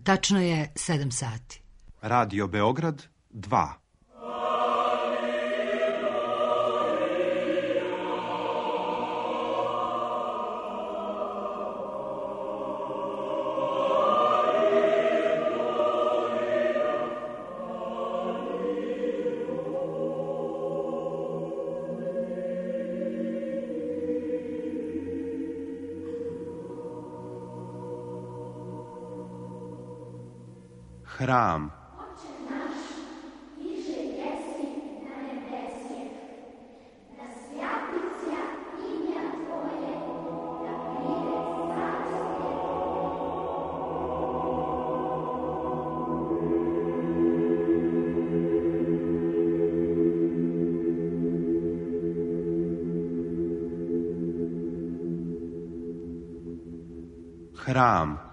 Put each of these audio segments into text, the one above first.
Tačno je 7 sati. Radio Beograd 2. Hram. Hram.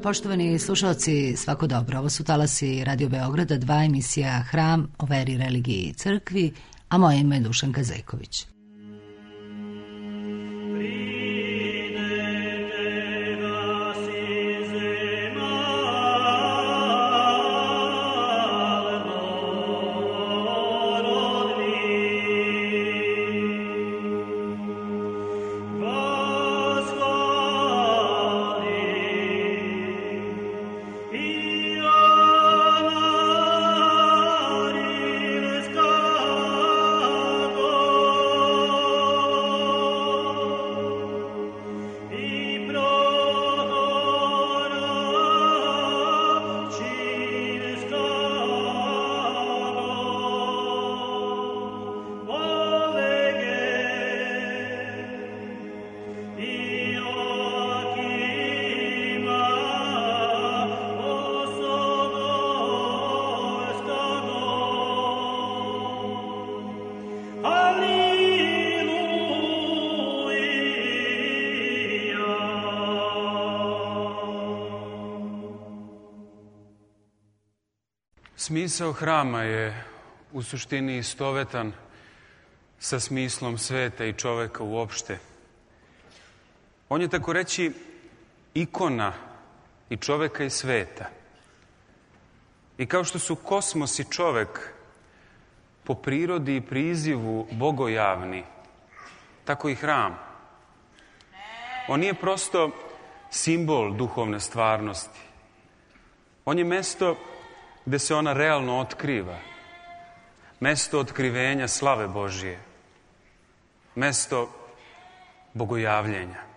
Poštovani slušalci, svako dobro. Ovo su talasi Radio Beograda 2, emisija Hram o veri, religiji i crkvi, a moje ime je Dušanka Zejković. Smisao hrama je u suštini istovetan sa smislom sveta i čoveka uopšte. On je, tako reći, ikona i čoveka i sveta. I kao što su kosmos i čovek po prirodi i prizivu bogojavni, tako i hram. On nije prosto simbol duhovne stvarnosti. On je mesto gde se ona realno otkriva. Mesto otkrivenja slave Božije. Mesto bogojavljenja.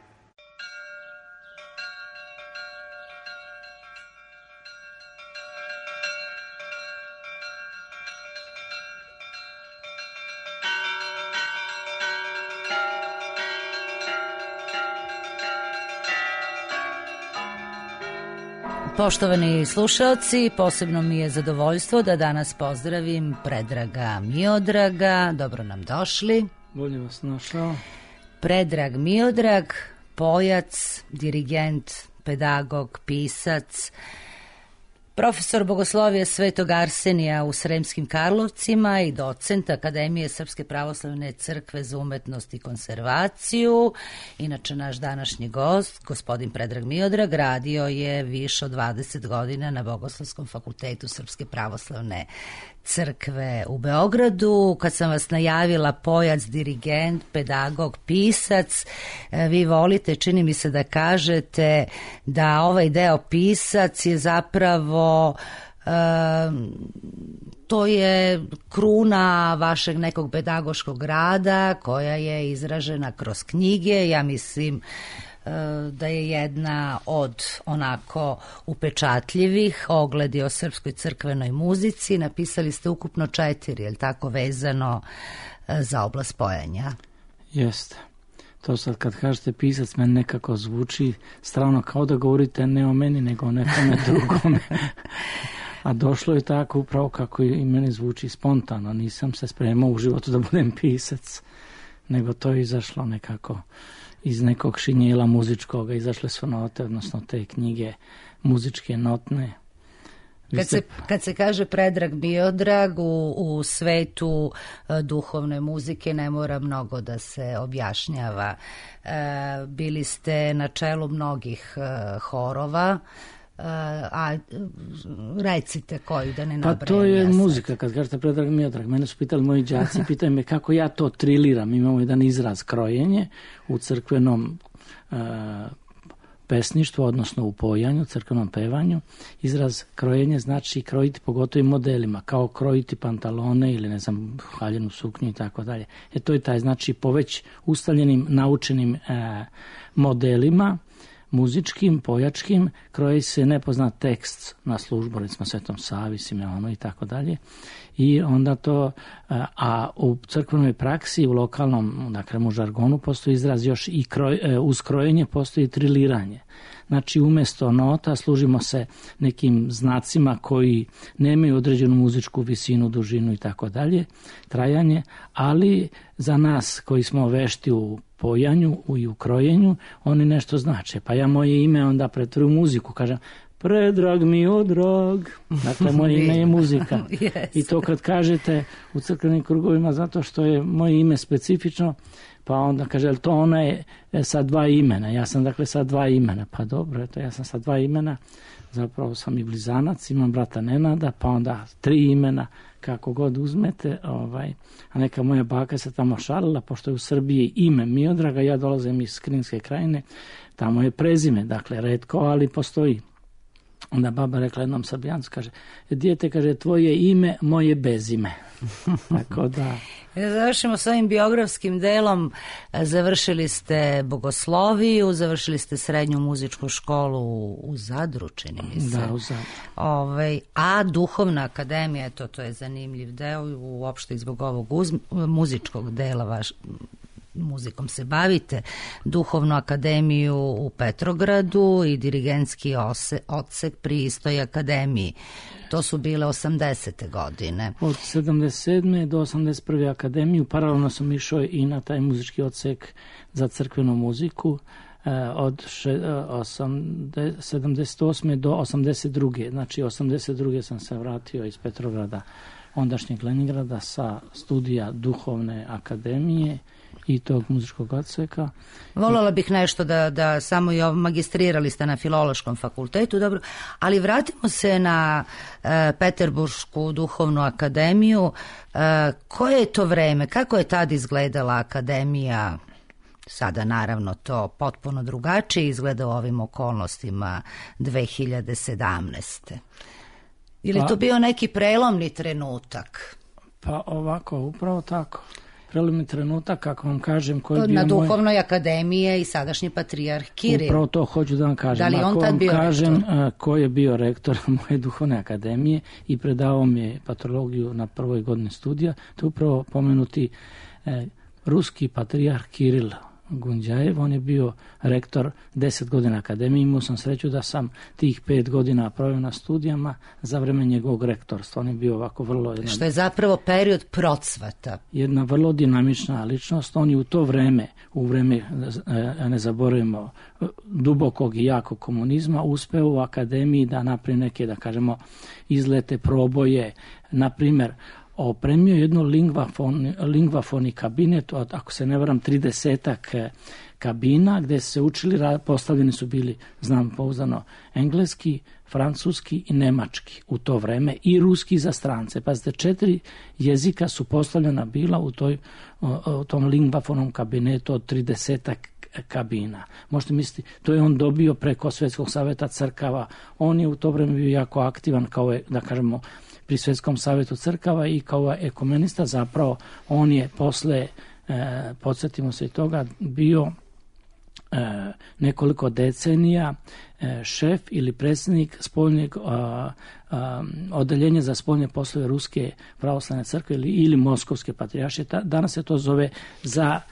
Poštovani slušalci, posebno mi je zadovoljstvo da danas pozdravim Predraga Miodraga. Dobro nam došli. Bolje vas našao. Predrag Miodrag, pojac, dirigent, pedagog, pisac, profesor bogoslovija Svetog Arsenija u Sremskim Karlovcima i docent Akademije Srpske pravoslavne crkve za umetnost i konservaciju. Inače, naš današnji gost, gospodin Predrag Miodrag, radio je više od 20 godina na Bogoslovskom fakultetu Srpske pravoslavne crkve u Beogradu. Kad sam vas najavila pojac, dirigent, pedagog, pisac, vi volite, čini mi se da kažete da ovaj deo pisac je zapravo To je kruna vašeg nekog pedagoškog rada koja je izražena kroz knjige. Ja mislim da je jedna od onako upečatljivih ogledi o srpskoj crkvenoj muzici. Napisali ste ukupno 4, je li tako, vezano za oblast pojanja? Jeste. To sad kad kažete pisac, meni nekako zvuči strano kao da govorite ne o meni, nego o nekome drugome. A došlo je tako upravo kako i meni zvuči spontano. Nisam se spremao u životu da budem pisac, nego to je izašlo nekako iz nekog šinjela muzičkoga. Izašle su note, odnosno te knjige muzičke notne. Kad se kaže Predrag Miodrag u svetu duhovne muzike ne mora mnogo da se objašnjava. Bili ste na čelu mnogih horova, a recite koji, da ne nabrajam. Pa to je muzika, kad kažete Predrag Miodrag. Mene su pitali moji đaci, pitaju me kako ja to triliram. Imamo jedan izraz krojenje u crkvenom pesništvu, odnosno u pojanju, crkvenom pevanju. Izraz krojenje znači krojiti pogotovo modelima, kao krojiti pantalone ili ne znam, haljenu suknju i tako dalje. To je taj, znači po već ustaljenim, naučenim modelima, muzičkim, pojačkim, kroji se nepoznat tekst na službu, recimo Svetom Savi, Simeonu i tako dalje. I onda to, a u crkvenoj praksi, u lokalnom, dakle u žargonu, postoji izraz još i uz krojenje postoji triliranje. Znači umjesto nota služimo se nekim znacima koji nemaju određenu muzičku visinu, dužinu i tako dalje, trajanje, ali za nas koji smo vešti u pojanju i u krojenju, oni nešto znače. Pa ja moje ime onda pretvorim u muziku, kažem Predrag Miodrag, dakle moje ime je muzika. Yes. I to kad kažete u crkvenim krugovima, zato što je moje ime specifično, pa onda kaže, to ona je sa 2 imena. Ja sam dakle sa 2 imena. Pa dobro, eto, ja sam sa 2 imena. Zapravo sam i blizanac, imam brata Nenada, pa onda 3 imena, kako god uzmete. A neka moja baka se tamo šalila, pošto je u Srbiji ime Miodraga, ja dolazim iz Kninske krajine, tamo je prezime, dakle retko, ali postoji. Onda baba rekla jednom Srbijancu, kaže, dijete, kaže, tvoje ime, moje bezime. Tako da... Završimo s ovim biografskim delom. Završili ste bogosloviju, završili ste srednju muzičku školu u Zadru, čini mi se. Da, u Zadru. A duhovna akademija, to je zanimljiv deo, uopšte i zbog ovog muzičkog dela muzikom se bavite, duhovnu akademiju u Petrogradu i dirigentski odsek pri istoj akademiji. To su bile 80. godine. Od 77. do 81. akademiju, paralelno sam išao i na taj muzički odsek za crkvenu muziku od 78. do 82. Znači 82. sam se vratio iz Petrograda, ondašnjeg Leningrada, sa studija duhovne akademije i tog muzičkog odseka. Voljela bih nešto da samo magistrirali ste na Filološkom fakultetu, dobro, ali vratimo se na Peterbursku duhovnu akademiju. Koje je to vreme, kako je tad izgledala akademija? Sada naravno to potpuno drugačije izgleda u ovim okolnostima 2017. Ili to bio neki prelomni trenutak? Pa ovako, upravo tako. Prelomni trenutak, kako vam kažem, koji je bio na duhovnoj akademiji i sadašnji patrijarh Kiril. Upravo to hoću da vam kažem. Da li on tad bio kažem ko je bio rektor moje duhovne akademije i predavao mi je patrologiju na prvoj godini studija, to je upravo pomenuti ruski patrijarh Kiril Gunđajev. On je bio rektor 10 godina akademije. Imao sam sreću da sam tih 5 godina proveo na studijama za vreme njegovog rektorstva. On je bio ovako vrlo... Što je zapravo period procvata. Jedna vrlo dinamična ličnost. On je u to vreme, ne zaboravimo, dubokog i jakog komunizma, uspeo u akademiji da napravi neke, da kažemo, izlete, proboje. Na primjer, opremio jednu lingvafoni kabinet od, ako se ne varam, 30 kabina gdje se učili, postavljeni su bili, znam pouzdano, engleski, francuski i nemački u to vreme i ruski za strance. Pazite, 4 jezika su postavljena bila u tom lingvafonom kabinetu od 30 kabina. Možete misliti, to je on dobio preko Svjetskog savjeta crkava. On je u to vreme bio jako aktivan kao, da kažemo, pri Svjetskom savjetu crkava i kao ekumenista. Zapravo on je posle, podsjetimo se i toga, bio nekoliko decenija šef ili predsjednik spoljnjeg odeljenja za spoljne poslove Ruske pravoslavne crkve ili Moskovske patrijaršije. Danas se to zove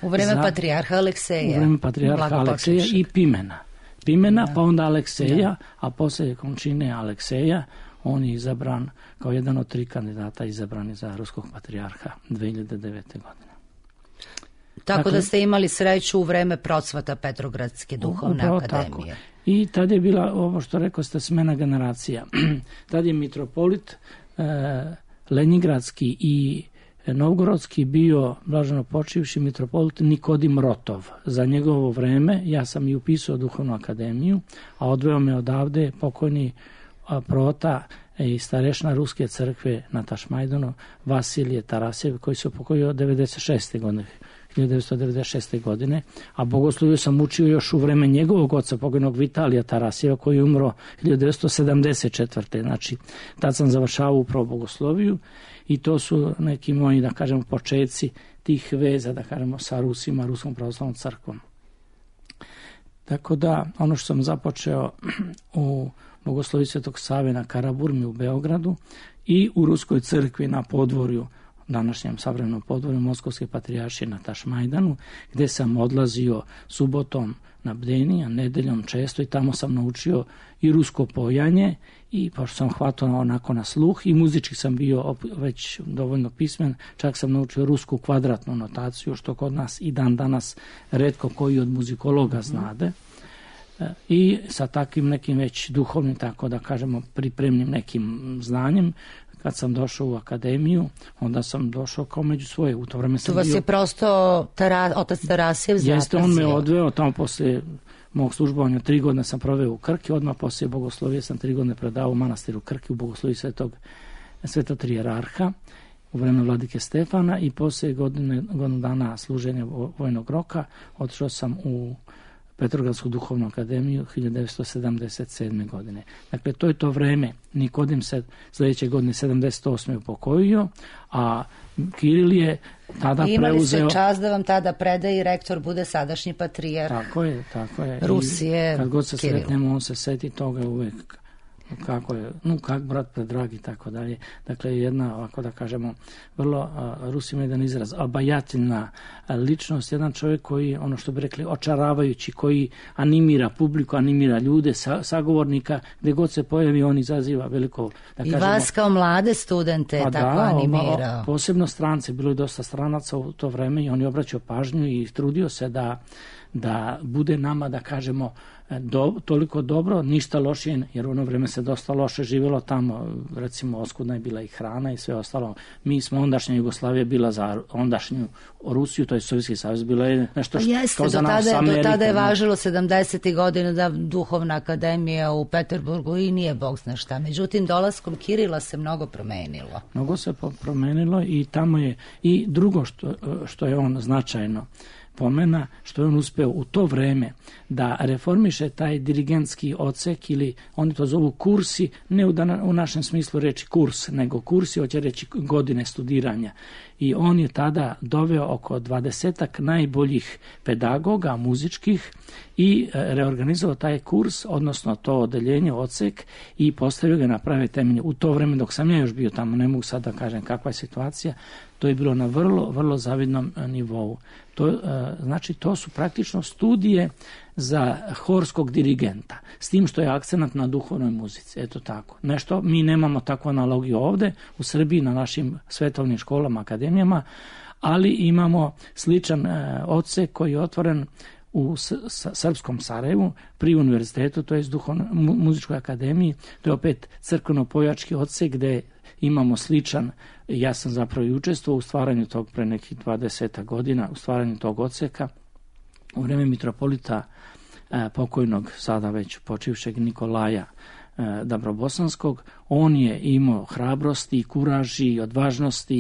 u vreme patrijarha Alekseja. U vreme patrijarha Alekseja i Pimena, pa onda Alekseja, a poslije končine Alekseja on je izabran kao jedan od 3 kandidata izabrani za ruskog patrijarha 2009. godine. Tako da ste imali sreću u vreme procvata Petrogradske duhovne akademije. Tako. I tad je bila, ovo što rekao ste, smena generacija. Tad je mitropolit Lenjingradski i Novgorodski bio blaženo počivši mitropolit Nikodim Rotov. Za njegovo vreme ja sam i upisao duhovnu akademiju, a odveo me odavde pokojni prota i starešna Ruske crkve na Tašmajdanu Vasilije Tarasjev, koji se upokojio 1996. godine, a bogosloviju sam učio još u vreme njegovog oca, pokojnog Vitalija Tarasjeva, koji je umro 1974. Znači, tad sam završavao upravo bogosloviju i to su neki moji, da kažemo, početci tih veza, da kažemo, sa Rusima, Ruskom pravoslavnom crkvom. Tako da, ono što sam započeo u bogoslovi Svetog Save na Karaburmi u Beogradu i u Ruskoj crkvi na podvorju, današnjem savremenom podvorju Moskovske patrijaršije na Tašmajdanu, gde sam odlazio subotom na bdeni, a nedeljom često, i tamo sam naučio i rusko pojanje, i pošto sam hvatao onako na sluh, i muzički sam bio već dovoljno pismen, čak sam naučio rusku kvadratnu notaciju, što kod nas i dan danas retko koji od muzikologa znade. I sa takvim nekim već duhovnim, tako da kažemo, pripremnim nekim znanjem, kad sam došao u akademiju, onda sam došao kao među svoje. U to vreme sam tu vas je prosto otac Tarasjev zapazio. Jeste, on me odveo tamo posle mog službovanja, 3 godine sam proveo u Krki, odmah posle bogoslovije sam 3 godine predao u manastiru Krki u bogosloviji Svetog Trijerarha u vreme vladike Stefana, i posle godinu dana služenja vojnog roka otišao sam u Petrogradsku duhovnu akademiju 1977. godine. Dakle, to je to vreme. Nikodim se sljedeće godine 78. upokojio, a Kiril je tada preuzeo... Imali ste čast da vam tada predaje i rektor bude sadašnji patrijarh. Tako je. Rusije, i kad god se Kiril. sretnemo, on se seti toga uvek. Kako je, kak brat predrag i tako dalje. Dakle, jedna, ovako da kažemo, vrlo, Rusi ima jedan izraz, obajateljna ličnost, jedan čovjek koji, ono što bi rekli, očaravajući, koji animira publiku, animira ljude, sagovornika, gdje god se pojavi, on izaziva veliko, da kažemo... I vas kao mlade studente tako animirao. Posebno strance, bilo je dosta stranaca u to vreme i on je obraćao pažnju i trudio se da bude nama, da kažemo, toliko dobro, ništa lošije, jer u ono vreme se dosta loše živjelo tamo, recimo oskudna je bila i hrana i sve ostalo. Mi smo, ondašnja Jugoslavija bila za ondašnju Rusiju, to je Sovjetski savez, bilo je nešto kao za nas Amerika. Do tada je važilo 70. godina da duhovna akademija u Peterburgu i nije bog zna šta. Međutim, dolaskom Kirila se mnogo promenilo. Mnogo se promenilo i tamo je i drugo što je on značajno pomena, što je on uspeo u to vreme da reformiše taj dirigentski odsek, ili oni to zovu kursi, ne u našem smislu reći kurs, nego kursi, hoće reći godine studiranja. I on je tada doveo oko 20 najboljih pedagoga muzičkih i reorganizovao taj kurs, odnosno to odeljenje, odsek, i postavio ga na prave temelje. U to vreme dok sam ja još bio tamo, ne mogu sad da kažem kakva je situacija, to je bilo na vrlo, vrlo zavidnom nivou. Znači, to su praktično studije za horskog dirigenta, s tim što je akcenat na duhovnoj muzici. Eto tako. Nešto, mi nemamo takvu analogiju ovde u Srbiji na našim svetovnim školama, akademijama, ali imamo sličan odsek koji je otvoren u Srpskom Sarajevu pri univerzitetu, to je muzičkoj akademiji. To je opet crkveno-pojački odsek gde imamo sličan, ja sam zapravo i učestvovao u stvaranju tog pre nekih 20 godina, u stvaranju tog odseka u vreme mitropolita pokojnog, sada već počivšeg Nikolaja Dabrobosanskog. On je imao hrabrosti, kuraži i odvažnosti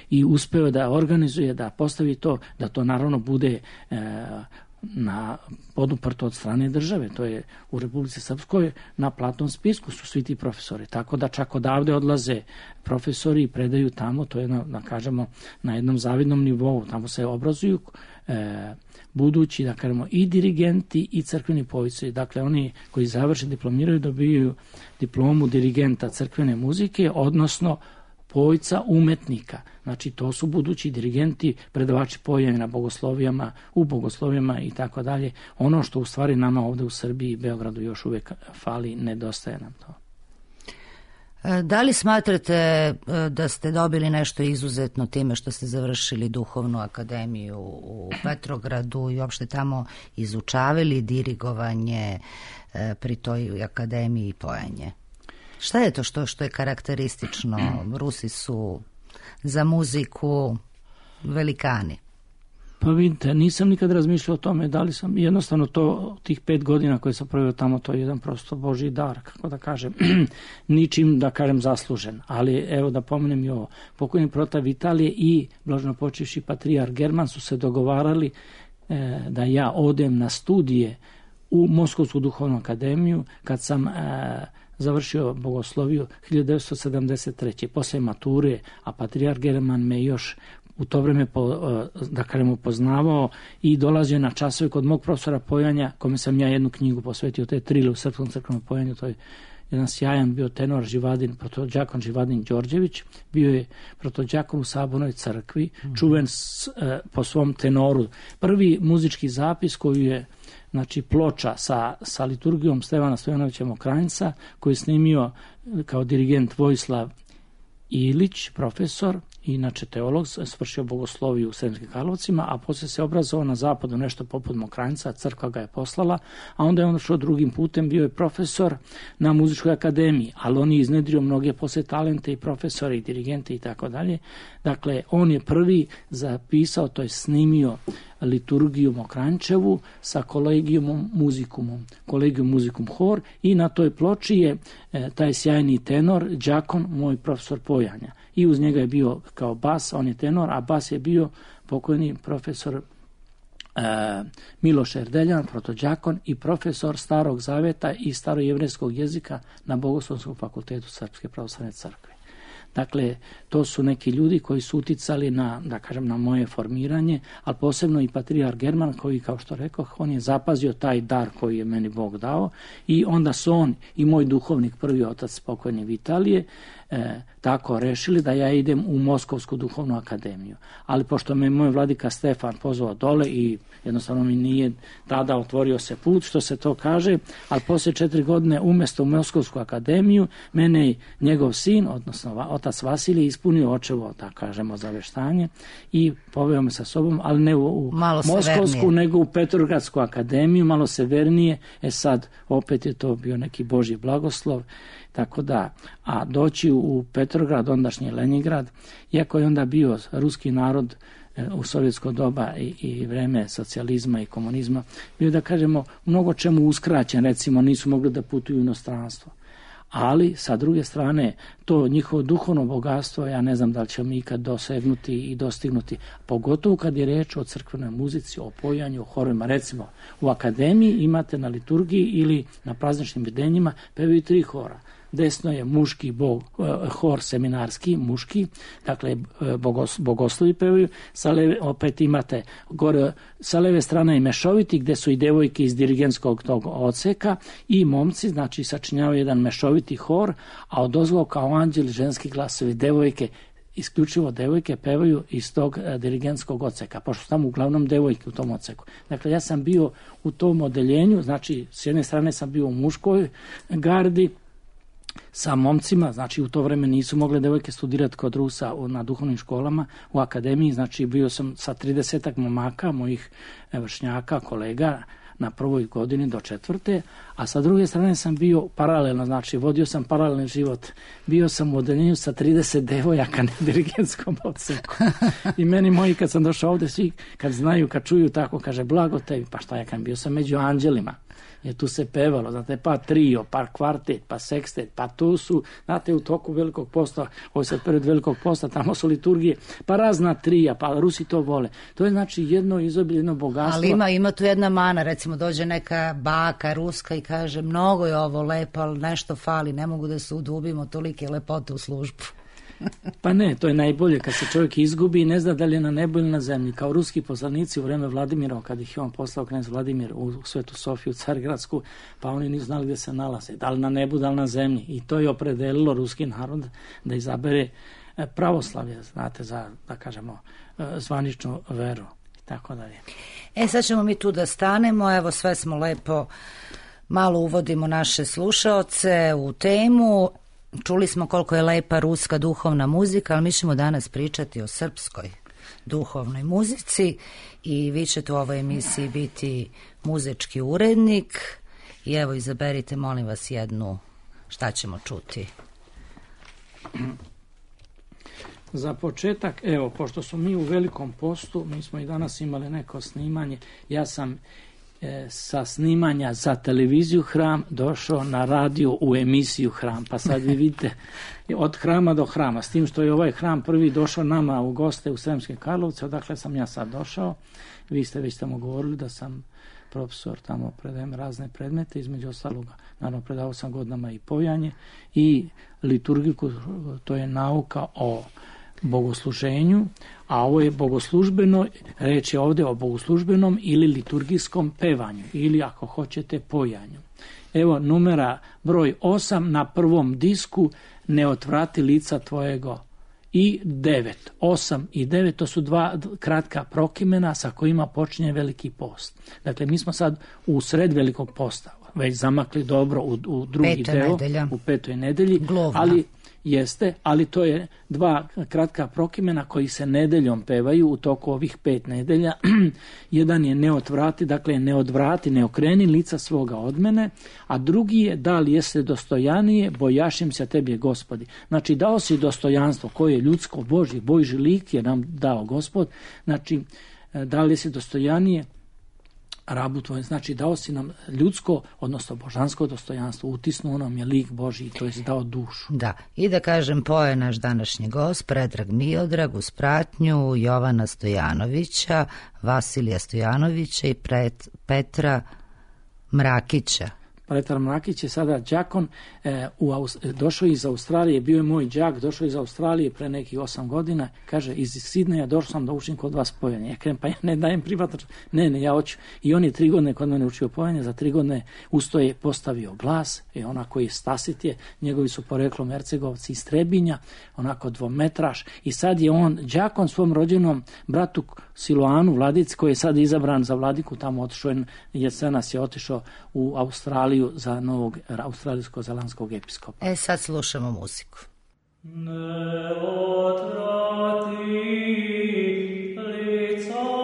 i uspeo da organizuje, da postavi to, da to naravno bude poduprto od strane države. To je u Republici Srpskoj na platnom spisku su svi ti profesori. Tako da čak odavde odlaze profesori i predaju tamo, to je da kažemo na jednom zavidnom nivou. Tamo se obrazuju budući, da kažemo, i dirigenti i crkveni pojci. Dakle, oni koji završe, diplomiraju, dobijaju diplomu dirigenta crkvene muzike, odnosno pojca umetnika. Znači, to su budući dirigenti, predavači pojanja na bogoslovijama, u bogoslovijama i tako dalje. Ono što u stvari nama ovde u Srbiji i Beogradu još uvek fali, nedostaje nam to. Da li smatrate da ste dobili nešto izuzetno time što ste završili duhovnu akademiju u Petrogradu i uopšte tamo izučavali dirigovanje pri toj akademiji i pojanje? Šta je to što je karakteristično? Rusi su za muziku velikani. Pa vidite, nisam nikad razmišljao o tome, da li sam, jednostavno to, tih 5 godina koje sam proveo tamo, to je jedan prosto Božji dar, kako da kažem, ničim, da kažem, zaslužen. Ali evo da pomenem i ovo, pokojni protav Italije i blaženopočivši patrijarh German su se dogovarali da ja odem na studije u Moskovsku duhovnu akademiju kad sam završio bogosloviju 1973. Posle mature, a patrijarh German me još u to vreme, da kažem, upoznavao i dolazio na časove kod mog profesora pojanja, kome sam ja jednu knjigu posvetio, to je Trile u srpskom crkvenom pojanju, to je jedan sjajan bio tenor Živadin, protođakon Živadin Đorđević, bio je protođakon u Sabornoj crkvi, čuven po svom tenoru. Prvi muzički zapis koji je, znači, ploča sa liturgijom Stevana Stojanovića Mokranjca, koji je snimio kao dirigent Vojislav Ilić, profesor, inače teolog, svršio bogosloviju u Sremskim Karlovcima, a poslije se obrazovao na zapadu nešto poput Mokranjca, crkva ga je poslala, a onda je on šao drugim putem, bio je profesor na muzičkoj akademiji, ali on je iznedrio mnoge poslije talente i profesore i dirigente i tako dalje. Dakle, on je prvi zapisao, to je snimio liturgiju Mokranjčevu sa Collegium Musicum Hor i na toj ploči je taj sjajni tenor, đakon, moj profesor pojanja. I uz njega je bio kao bas, on je tenor, a bas je bio pokojni profesor Miloš Erdeljan, protođakon i profesor Starog Zaveta i starojevrejskog jezika na Bogoslovskom fakultetu Srpske pravoslavne crkve. Dakle, to su neki ljudi koji su uticali na, da kažem, na moje formiranje, ali posebno i patrijarh German koji, kao što rekoh, on je zapazio taj dar koji je meni Bog dao i onda su on i moj duhovnik, prvi otac pokojni Vitalije, tako rešili da ja idem u Moskovsku duhovnu akademiju. Ali pošto me moj vladika Stefan pozvao dole i jednostavno mi nije tada otvorio se put, što se to kaže, ali poslije 4 godine umesto u Moskovsku akademiju, mene njegov sin, odnosno otac Vasilij, ispunio očevo, da kažemo, zaveštanje i poveo me sa sobom, ali ne u Moskovsku, nego u Petrogradsku akademiju, malo severnije. Sad opet je to bio neki Božji blagoslov. Tako da, a doći u Petrograd, ondašnji Leningrad, iako je onda bio ruski narod u sovjetsko doba i vreme socijalizma i komunizma, bio, da kažemo, mnogo čemu uskraćen, recimo nisu mogli da putuju u inostranstvo. Ali, sa druge strane, to njihovo duhovno bogatstvo, ja ne znam da li ćemo ikad dosegnuti i dostignuti, pogotovo kad je reč o crkvenoj muzici, o pojanju, o horovima. Recimo, u akademiji imate na liturgiji ili na prazničnim videnjima pevaju 3 hora. Desno je muški hor seminarski, muški, dakle bogoslovi pevaju, opet imate gore, sa leve strane i mešoviti gde su i devojke iz dirigentskog tog odseka i momci, znači sačinjavaju jedan mešoviti hor, a odozgo kao anđeli ženski glasovi, devojke, isključivo devojke pevaju iz tog dirigentskog odseka, pošto su tamo uglavnom devojke u tom odseku. Dakle, ja sam bio u tom odeljenju, znači s jedne strane sam bio u muškoj gardi, sa momcima, znači u to vreme nisu mogle devojke studirati kod Rusa na duhovnim školama u akademiji, znači bio sam sa 30 momaka, mojih vršnjaka, kolega, na prvoj godini do 4. A sa druge strane sam bio paralelno, znači vodio sam paralelni život. Bio sam u odeljenju sa 30 devojaka na dirigentskom odseku. I meni moji kad sam došao ovde, svi kad znaju, kad čuju tako, kaže blago tebi, pa šta ja kad bio sam među anđelima. jer tu se pevalo, znate, pa trio, pa kvartet, pa sekstet, pa tu su, znate, u toku Velikog posta, ovo se pred Velikog posta, tamo su liturgije, pa razna trija, pa Rusi to vole. To je znači jedno izobilje, jedno bogatstvo. Ali ima tu jedna mana, recimo dođe neka baka ruska i kaže mnogo je ovo lepo, ali nešto fali, ne mogu da se udubimo tolike lepote u službu. Pa ne, to je najbolje kad se čovjek izgubi i ne zna da li je na nebu ili na zemlji. Kao ruski poslanici u vreme Vladimira, kad ih je on poslao knez Vladimir u Svetu Sofiju, Carigradsku, pa oni nisu znali gdje se nalaze, da li na nebu, da li na zemlji. I to je opredelilo ruski narod da izabere pravoslavlje, znate, za, da kažemo, zvaničnu veru i tako dalje. Sad ćemo mi tu da stanemo, evo sve smo lepo, malo uvodimo naše slušaoce u temu. Čuli smo koliko je lepa ruska duhovna muzika, ali mi ćemo danas pričati o srpskoj duhovnoj muzici i vi ćete u ovoj emisiji biti muzički urednik i evo izaberite, molim vas, jednu, šta ćemo čuti. Za početak, evo, pošto smo mi u Velikom postu, mi smo i danas imali neko snimanje, ja sam sa snimanja za televiziju Hram došao na radio u emisiju Hram, pa sad vi vidite od hrama do hrama, s tim što je ovaj hram prvi došao nama u goste u Sremske Karlovce, odakle sam ja sad došao. Vi ste već tamo govorili da sam profesor, tamo predajem razne predmete, između ostaloga, naravno predavao sam godinama i povijanje i liturgiku, to je nauka o bogosluženju, a ovo je bogoslužbeno, reč je ovdje o bogoslužbenom ili liturgijskom pevanju ili ako hoćete pojanju. Evo numera broj 8 na prvom disku, ne otvrati lica tvojego, i 9. 8 i 9, to su dva kratka prokimena sa kojima počinje Veliki post. Dakle, mi smo sad u sred Velikog posta, već zamakli dobro u drugi deo, u petoj nedelji, ali to je dva kratka prokimena koji se nedeljom pevaju u toku ovih 5 nedelja. Jedan je ne otvrati, dakle ne odvrati, ne okreni lica svoga od mene, a drugi je da li jeste dostojanije, bojašim se tebi Gospodi. Znači dao si dostojanstvo koje je ljudsko, Božji lik je nam dao Gospod, znači da li si dostojanije rabu tvoj, znači dao si nam ljudsko, odnosno božansko dostojanstvo, utisnuo nam je lik Božji, to je dao dušu. Da, i da kažem, poje naš današnji gost, Predrag Miodrag, uz pratnju Jovana Stojanovića, Vasilija Stojanovića i Petra Mrakića. Petar Mrakić je sada đakon, došao iz Australije, bio je moj đak, došao iz Australije pre nekih 8 godina, kaže, iz Sidneja došao sam da učim kod vas pojenje. Ja kažem, pa ja ne dajem privatno, ne, ja hoću. I on je 3 godine kod mene učio pojenje, za 3 godine usto je postavio glas, i onako je Stasit je, njegovi su poreklom Hercegovci iz Trebinja, onako 2-metraš, i sad je on đakon svom rođenom bratu Siloanu Vladic, koji je sad izabran za vladiku, tamo otišao, jesenas je otišao u Australiju za novog australijsko-zelandskog episkopa. Sad slušamo muziku. Ne otrati lica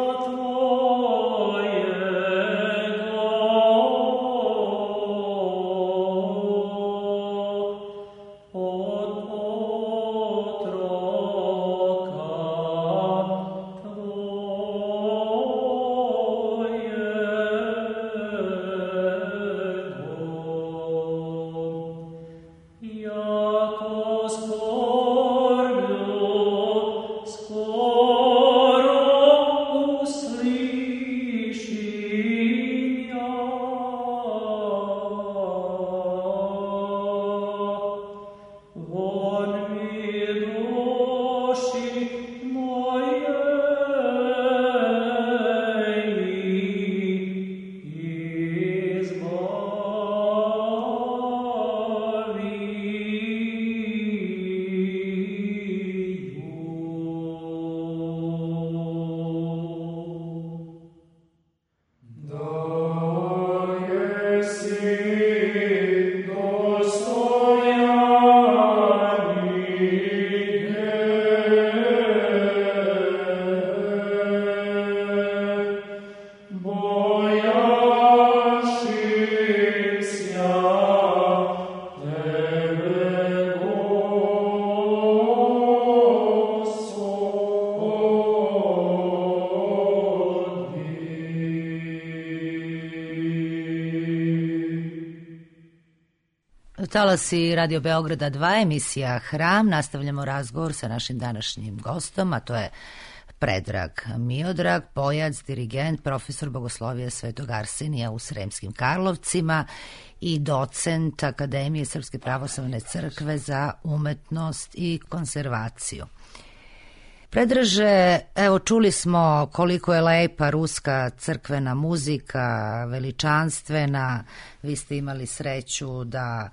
Jako sporblju, Talasi Radio Beograda 2, emisija Hram. Nastavljamo razgovor sa našim današnjim gostom, a to je Predrag Miodrag, pojac, dirigent, profesor bogoslovija Svetog Arsenija u Sremskim Karlovcima i docent Akademije Srpske pravoslavne crkve za umetnost i konzervaciju. Predraže, evo čuli smo koliko je lepa ruska crkvena muzika, veličanstvena. Vi ste imali sreću da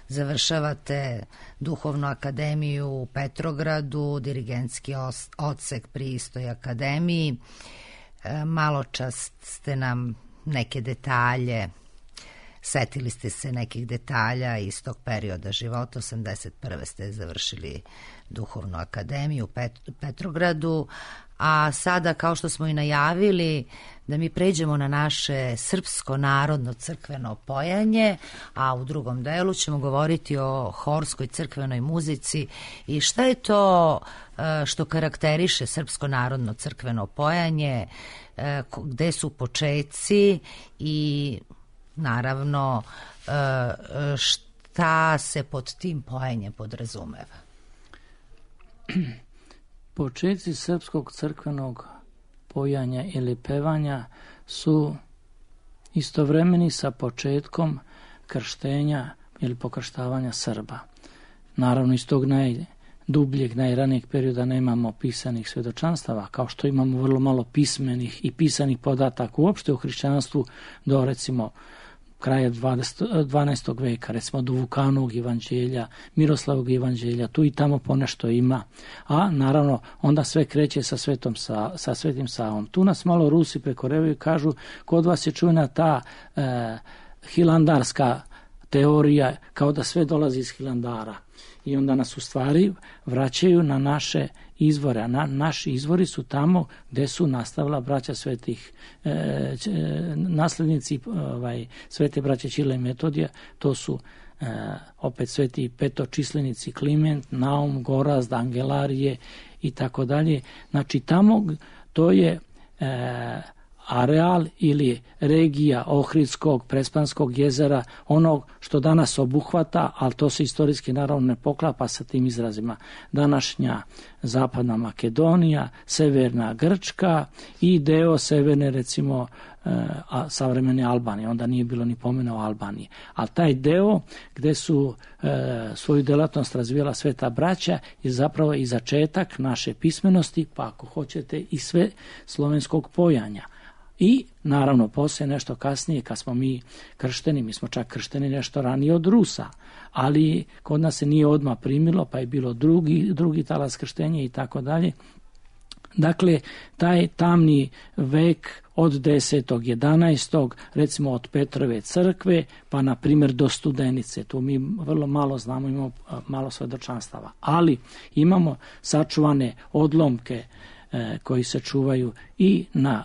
završavate duhovnu akademiju u Petrogradu, dirigentski odsek pri istoj akademiji. Malo čas ste nam neke detalje, setili ste se nekih detalja iz tog perioda života. 81. ste završili duhovnu akademiju u Petrogradu, a sada, kao što smo i najavili, da mi pređemo na naše srpsko narodno crkveno pojanje, a u drugom delu ćemo govoriti o horskoj crkvenoj muzici i šta je to što karakteriše srpsko narodno crkveno pojanje, gde su počeci i naravno šta se pod tim pojanjem podrazumeva. Počeci srpskog crkvenog pojanja ili pevanja su istovremeni sa početkom krštenja ili pokrštavanja Srba. Naravno, iz tog najdubljeg, najranijeg perioda nemamo pisanih svedočanstava, kao što imamo vrlo malo pismenih i pisanih podataka uopšte u hrišćanstvu do, recimo, kraja 12. veka, recimo do Vukanovog evanđelja, Miroslavog evanđelja, tu i tamo ponešto ima, a naravno onda sve kreće sa Svetim Savom. Tu nas malo Rusi prekorevaju i kažu, kod vas je čujna ta hilandarska teorija, kao da sve dolazi iz Hilandara. I onda nas u stvari vraćaju na naše izvore, a naši izvori su tamo gde su nastavila braća svetih, naslednici svete braće Ćirila i Metodija, to su opet sveti petočislenici Kliment, Naum, Gorazd, Angelarije i tako dalje. Znači tamo to je areal ili regija Ohridskog, Prespanskog jezera, onog što danas obuhvata, ali to se istorijski naravno ne poklapa sa tim izrazima. Današnja zapadna Makedonija, severna Grčka i deo severne, recimo, savremene Albanije. Onda nije bilo ni pomena o Albaniji. Ali taj deo gde su svoju delatnost razvijala sveta braća je zapravo i začetak naše pismenosti, pa ako hoćete i sve slovenskog pojanja. I naravno poslije nešto kasnije kad smo mi kršteni, mi smo čak kršteni nešto ranije od Rusa, ali kod nas se nije odmah primilo, pa je bilo drugi talas krštenja i tako dalje. Dakle, taj tamni vek od 10. 11. recimo od Petrove crkve pa na primjer do Studenice, tu mi vrlo malo znamo, imamo malo svedočanstava, ali imamo sačuvane odlomke koji se čuvaju i na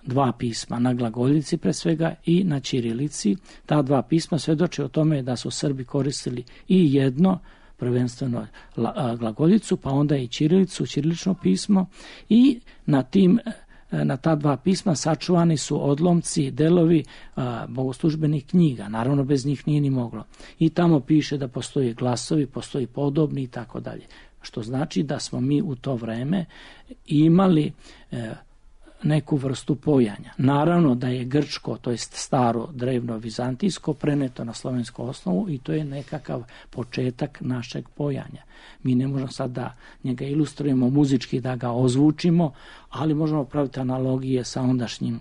dva pisma, na glagoljici pre svega i na ćirilici. Ta dva pisma svedoče o tome da su Srbi koristili i jedno, prvenstveno glagoljicu, pa onda i ćirilicu, ćirilično pismo, i na ta dva pisma sačuvani su odlomci, delovi bogoslužbenih knjiga. Naravno, bez njih nije ni moglo. I tamo piše da postoje glasovi, postoji podobni i tako dalje. Što znači da smo mi u to vreme imali neku vrstu pojanja. Naravno da je grčko, to jest staro drevno vizantijsko, preneto na slovensku osnovu i to je nekakav početak našeg pojanja. Mi ne možemo sad da njega ilustrujemo muzički, da ga ozvučimo, ali možemo praviti analogije sa ondašnjim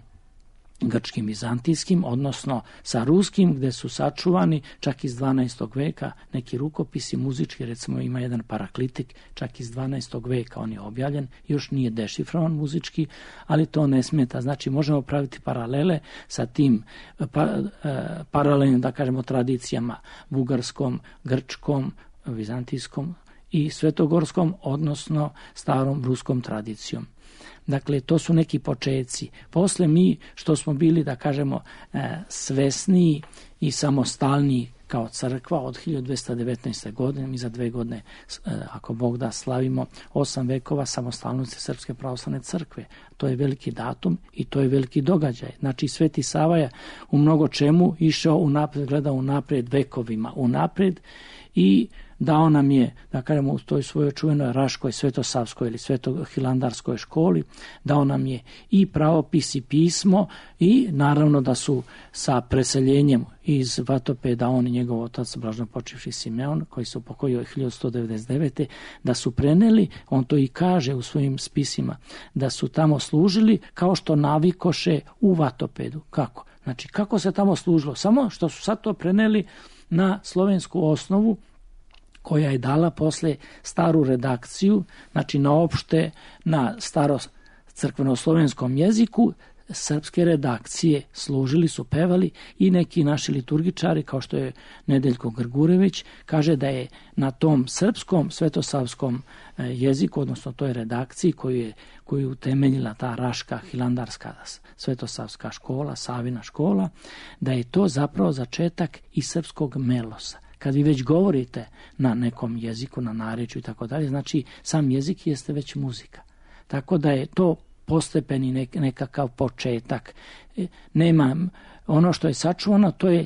grčkim vizantijskim, odnosno sa ruskim, gde su sačuvani čak iz 12. veka neki rukopisi muzički, recimo ima jedan paraklitik čak iz 12. veka, on je objavljen, još nije dešifrovan muzički, ali to ne smeta. Znači možemo praviti paralele sa tim paralelnim, da kažemo, tradicijama bugarskom, grčkom, vizantijskom i svetogorskom, odnosno starom ruskom tradicijom. Dakle, to su neki počeci. Posle mi, što smo bili, da kažemo, svesniji i samostalniji kao crkva od 1219. godine. Mi za 2 godine, ako Bog da, slavimo 8 vekova samostalnosti Srpske pravoslavne crkve. To je veliki datum i to je veliki događaj. Znači, Sveti Sava je u mnogo čemu išao unapred, gledao unapred, vekovima unapred i dao nam je, da kažemo, u toj svojoj čuvenoj Raškoj, Svetosavskoj ili Svetohilandarskoj školi, dao nam je i pravopis i pismo i naravno da su sa preseljenjem iz Vatopeda, on i njegov otac, blaženopočivši Simeon, koji se upokojio 1199. da su preneli, on to i kaže u svojim spisima, da su tamo služili kao što navikoše u Vatopedu. Kako? Znači, kako se tamo služilo? Samo što su sad to preneli na slovensku osnovu, koja je dala posle staru redakciju, znači na staro crkveno-slovenskom jeziku, srpske redakcije služili su, pevali i neki naši liturgičari, kao što je Nedeljko Grgurević, kaže da je na tom srpskom svetosavskom jeziku, odnosno toj redakciji koju utemeljila ta Raška hilandarska svetosavska škola, Savina škola, da je to zapravo začetak i srpskog melosa. Kad vi već govorite na nekom jeziku, na narečju i tako dalje, znači sam jezik jeste već muzika. Tako da je to postepeni nekakav početak. Nema, ono što je sačuvano, to je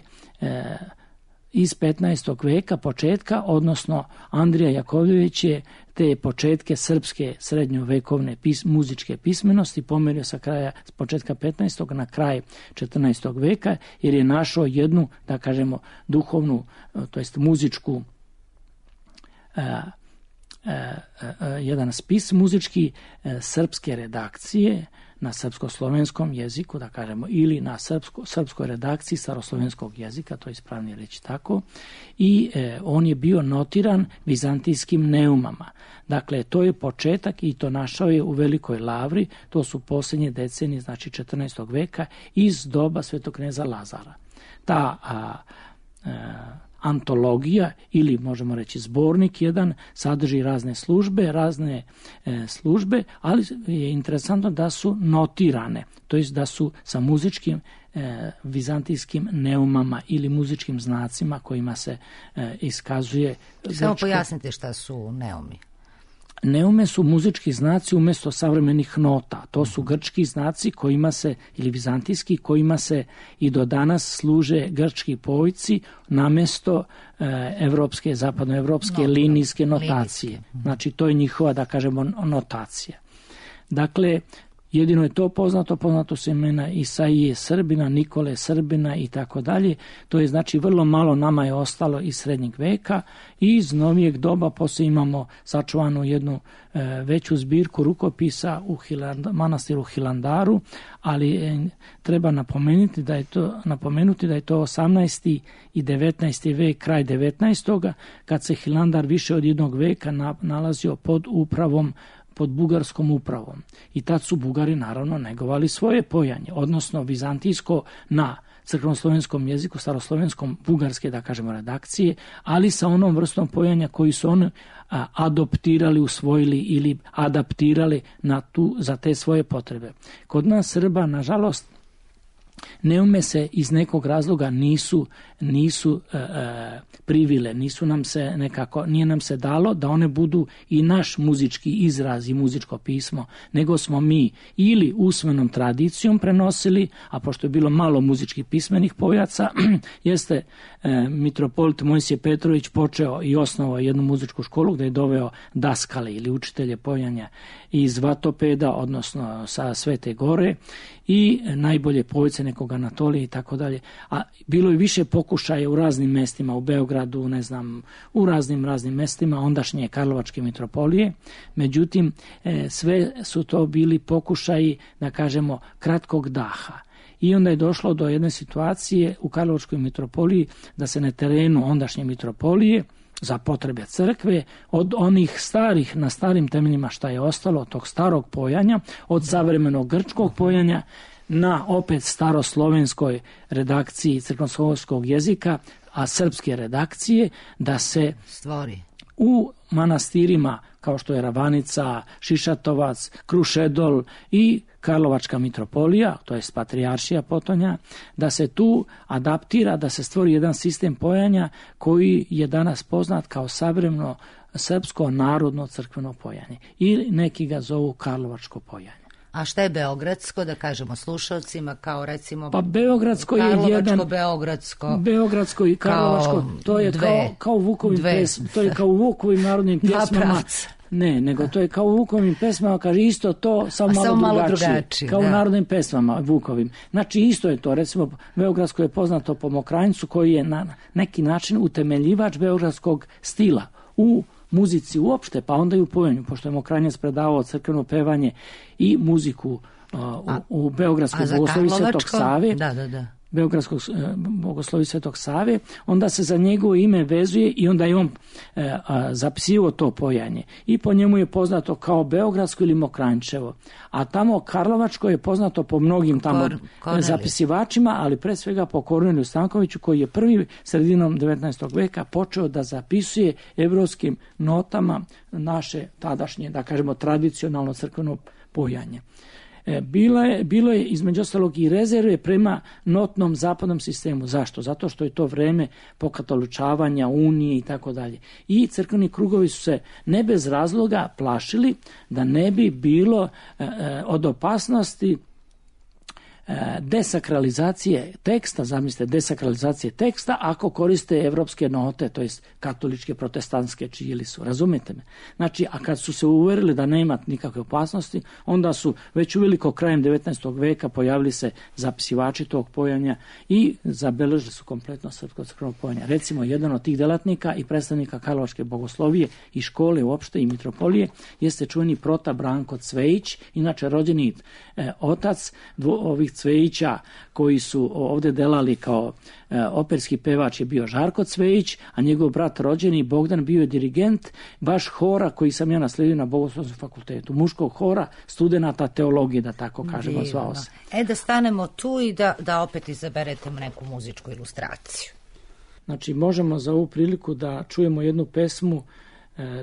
iz 15. veka početka, odnosno Andrija Jakovljević je te početke srpske srednjovekovne muzičke pismenosti pomerio sa početka 15. na kraj 14. veka, jer je našao jednu, da kažemo, duhovnu, to jest muzičku, jedan spis muzički srpske redakcije na srpsko-slovenskom jeziku, da kažemo, ili na srpskoj redakciji staroslovenskog jezika, to je ispravnije reći tako, i on je bio notiran vizantijskim neumama. Dakle, to je početak i to našao je u Velikoj Lavri, to su posljednje decenije, znači 14. veka, iz doba svetog kneza Lazara. Ta antologija ili možemo reći zbornik jedan sadrži razne službe, ali je interesantno da su notirane, to jest da su sa muzičkim vizantijskim neumama ili muzičkim znacima kojima se iskazuje. Samo pojasnite šta su neumi. Neume su muzički znaci umjesto savremenih nota. To su grčki znaci kojima se, ili vizantijski, kojima se i do danas služe grčki pojci namjesto zapadnoevropske linijske notacije. Znači, to je njihova, da kažemo, notacija. Dakle, jedino je to poznato su imena Isaije Srbina, Nikole Srbina i tako dalje. To je znači vrlo malo nama je ostalo iz srednjeg veka i iz novijeg doba poslije imamo sačuvanu jednu veću zbirku rukopisa u manastiru Hilandaru, ali treba napomenuti da je to 18. i 19. vek, kraj 19. kad se Hilandar više od jednog veka nalazio pod bugarskom upravom. I tad su Bugari naravno negovali svoje pojanje, odnosno vizantijsko na crkveno-slovenskom jeziku, staroslovenskom bugarske, da kažemo, redakcije, ali sa onom vrstom pojanja koji su oni adoptirali, usvojili ili adaptirali za te svoje potrebe. Kod nas Srba, nažalost, neume se iz nekog razloga nisu privile, nije nam se dalo da one budu i naš muzički izraz i muzičko pismo, nego smo mi ili usmenom tradicijom prenosili, a pošto je bilo malo muzičkih pismenih pojaca, jeste mitropolit Mojsije Petrović počeo i osnovao jednu muzičku školu gdje je doveo daskale ili učitelje pojanja iz Vatopeda, odnosno sa Svete Gore i najbolje pojce nekog Anatolije i tako dalje. A bilo je više pokušaja u raznim mestima, u Beogradu, u raznim mestima ondašnje Karlovačke mitropolije. Međutim, sve su to bili pokušaji, da kažemo, kratkog daha. I onda je došlo do jedne situacije u Karlovačkoj mitropoliji da se na terenu ondašnje mitropolije za potrebe crkve od onih starih, na starim temeljima šta je ostalo od tog starog pojanja, od savremenog grčkog pojanja na opet staroslovenskoj redakciji crkveno-slovenskog jezika, a srpske redakcije, da se u manastirima kao što je Ravanica, Šišatovac, Krušedol i Karlovačka mitropolija, to je patrijaršija Potonja, da se tu adaptira, da se stvori jedan sistem pojanja koji je danas poznat kao savremeno srpsko narodno crkveno pojanje. Ili neki ga zovu Karlovačko pojanje. A šta je beogradsko, da kažemo slušalcima, kao recimo... Pa beogradsko je jedan... Beogradsko i karlovačko, to je kao u Vukovim pesmama, to je kao u Vukovim narodnim pjesmama. Ne, nego to je kao u Vukovim pesmama, kaže isto to, samo malo drugačije. Kao u narodnim pesmama Vukovim. Znači isto je to, recimo beogradsko je poznato po Mokranjcu koji je na neki način utemeljivač beogradskog stila u muzici uopšte, pa onda i u pojenju, pošto je Mokranjac predavao crkveno pevanje i muziku u Beogradskoj bogoslovi Svetog Save, Beogradskog bogoslovi Svetog Save, onda se za njegovo ime vezuje i onda je on zapisivao to pojanje. I po njemu je poznato kao Beogradsko ili Mokranjčevo. A tamo Karlovačko je poznato po mnogim tamo zapisivačima, ali pre svega po Korneliju Stankoviću, koji je prvi sredinom 19. veka počeo da zapisuje evropskim notama naše tadašnje, da kažemo, tradicionalno crkveno pojanje. Bilo je između ostalog i rezerve prema notnom zapadnom sistemu. Zašto? Zato što je to vreme pokatoličavanja, unije i tako dalje. I crkveni krugovi su se ne bez razloga plašili da ne bi bilo od opasnosti desakralizacije teksta, zamislite, desakralizacije teksta ako koriste evropske note, to jest katoličke, protestantske, čiji su, razumete me? Znači, a kad su se uverili da nema nikakve opasnosti, onda su već uveliko krajem 19. veka pojavili se zapisivači tog pojanja i zabeležili su kompletno srpsko crkveno pojanje. Recimo, jedan od tih delatnika i predstavnika Karlovačke bogoslovije i škole uopšte i mitropolije jeste čuveni prota Branko Cvejić, inače rođeni otac ovih Cvejića koji su ovdje delali kao operski pevač je bio Žarko Cvejić, a njegov brat rođeni Bogdan bio je dirigent baš hora koji sam ja nasledio na Bogoslovskom fakultetu, muškog hora studenata teologije, da tako kažemo, zvao se. Da stanemo tu i da opet izaberete neku muzičku ilustraciju. Znači, možemo za ovu priliku da čujemo jednu pesmu,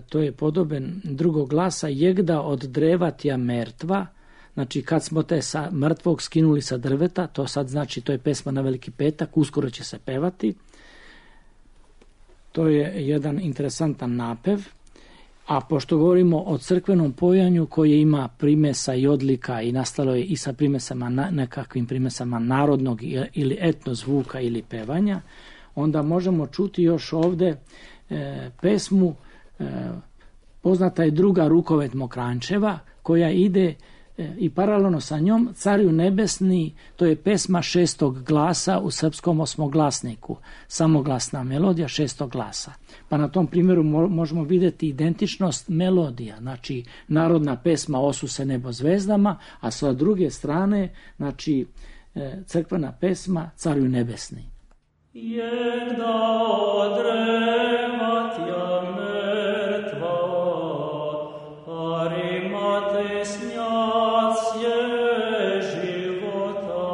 to je podoben drugog glasa, Jegda od drevatja mertva. Znači, kad smo te sa mrtvog skinuli sa drveta, to sad znači, to je pesma na Veliki petak, uskoro će se pevati. To je jedan interesantan napev. A pošto govorimo o crkvenom pojanju koje ima primesa i odlika i nastalo je i sa primesama, nekakvim primesama narodnog ili etno zvuka ili pevanja, onda možemo čuti još ovde pesmu, poznata je druga Rukovet Mokranjčeva, koja ide i paralelno sa njom Cariju nebesni, to je pesma 6. glasa u srpskom osmoglasniku, samoglasna melodija 6. glasa. Pa na tom primjeru možemo vidjeti identičnost melodija, znači narodna pesma Osuse nebo zvezdama, a sa druge strane, znači crkvena pesma Cariju nebesni. Jegda odrevatja mrtva, arimate snjac je života,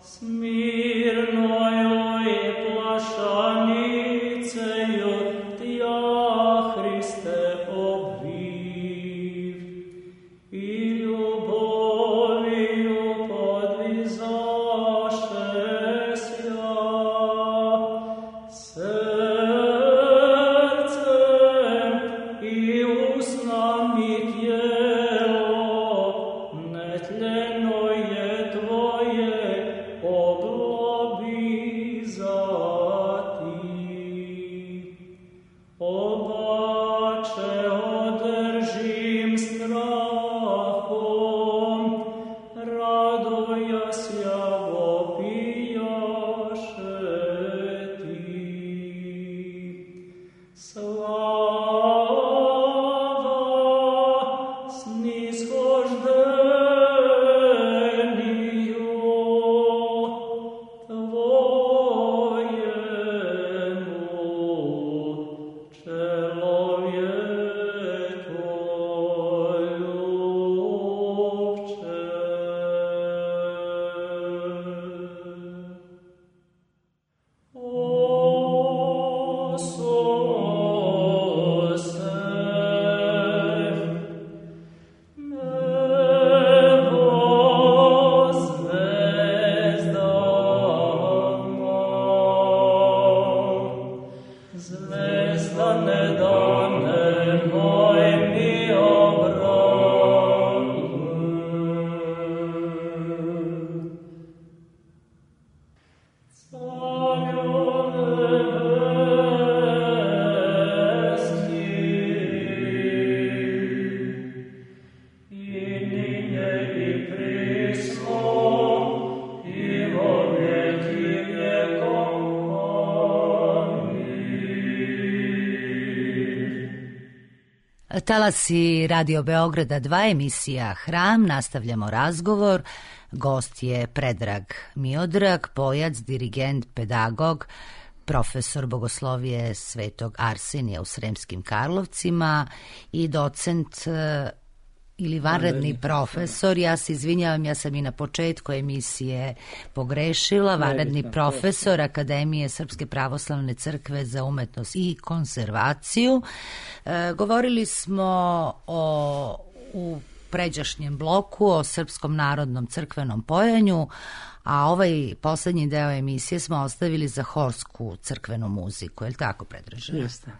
smirno joj plašanice joj tja Hriste obviv i ljuboviju podvizaše Slava, snishožde Talasi Radio Beograda 2, emisija Hram, nastavljamo razgovor. Gost je Predrag Miodrag, pojac, dirigent, pedagog, profesor bogoslovije Svetog Arsenija u Sremskim Karlovcima i docent ili vanredni profesor. Ja se izvinjavam, ja sam i na početku emisije pogrešila. Vanredni profesor Akademije Srpske pravoslavne crkve za umetnost i konzervaciju. Govorili smo u pređašnjem bloku o srpskom narodnom crkvenom pojanju, a ovaj poslednji deo emisije smo ostavili za horsku crkvenu muziku. Je li tako, Predraže? Jeste.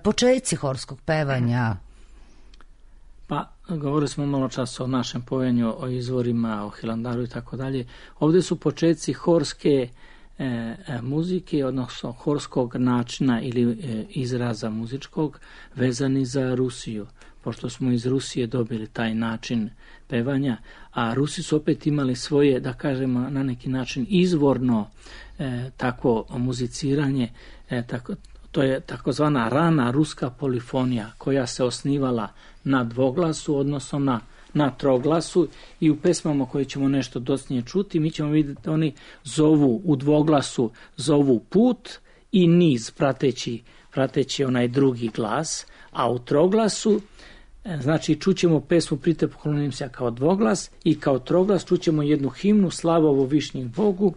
Početci horskog pevanja. Pa, govorili smo malo čas o našem pojanju, o izvorima, o Hilandaru i tako dalje. Ovdje su početci horske muzike, odnosno horskog načina ili izraza muzičkog, vezani za Rusiju, pošto smo iz Rusije dobili taj način pevanja, a Rusi su opet imali svoje, da kažemo, na neki način izvorno takvo muziciranje, to je takozvana rana ruska polifonija, koja se osnivala na dvoglasu, odnosno na troglasu, i u pesmama koje ćemo nešto docnije čuti, mi ćemo vidjeti oni zovu u dvoglasu, zovu put i niz prateći onaj drugi glas, a u troglasu, znači čućemo pesmu Prite poklonim se kao dvoglas, i kao troglas čućemo jednu himnu Slavovo višnjih Bogu.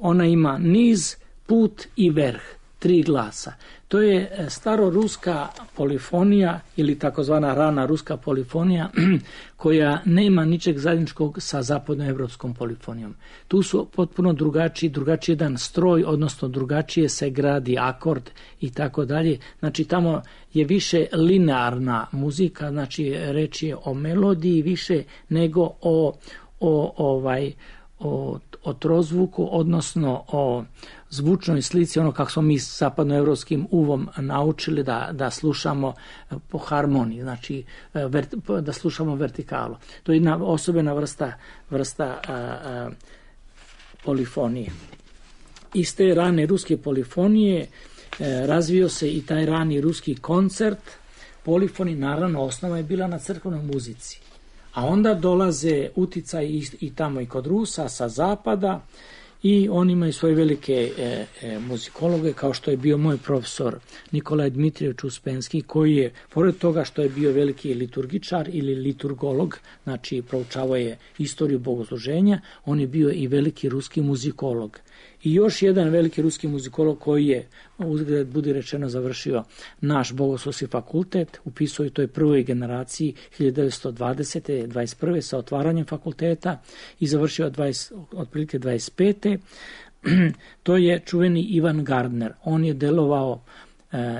Ona ima niz, put i verh, 3 glasa. To je staroruska polifonija ili takozvana rana ruska polifonija koja nema ničeg zajedničkog sa zapadnoevropskom polifonijom. Tu su potpuno drugačiji jedan stroj, odnosno drugačije se gradi akord i tako dalje. Znači tamo je više linearna muzika, znači reč je o melodiji više nego o trozvuku, odnosno o zvučnoj slici, ono kako smo mi s zapadnoevropskim uvom naučili da slušamo po harmoniji, znači da slušamo vertikalu. To je jedna osobena vrsta polifonije. Iz te rane ruske polifonije razvio se i taj rani ruski koncert. Polifoni, naravno, osnova je bila na crkvenoj muzici. A onda dolaze uticaj i tamo i kod Rusa sa zapada, i oni imaju svoje velike muzikologe, kao što je bio moj profesor Nikolaj Dmitrijević Uspenski, koji je, pored toga što je bio veliki liturgičar ili liturgolog, znači proučavao je istoriju bogosluženja, on je bio i veliki ruski muzikolog. I još jedan veliki ruski muzikolog koji je, uzgled budi rečeno, završio naš bogoslovski fakultet, upisao je toj prvoj generaciji 1920. 21. sa otvaranjem fakulteta i završio otprilike 25. To je čuveni Ivan Gardner. On je delovao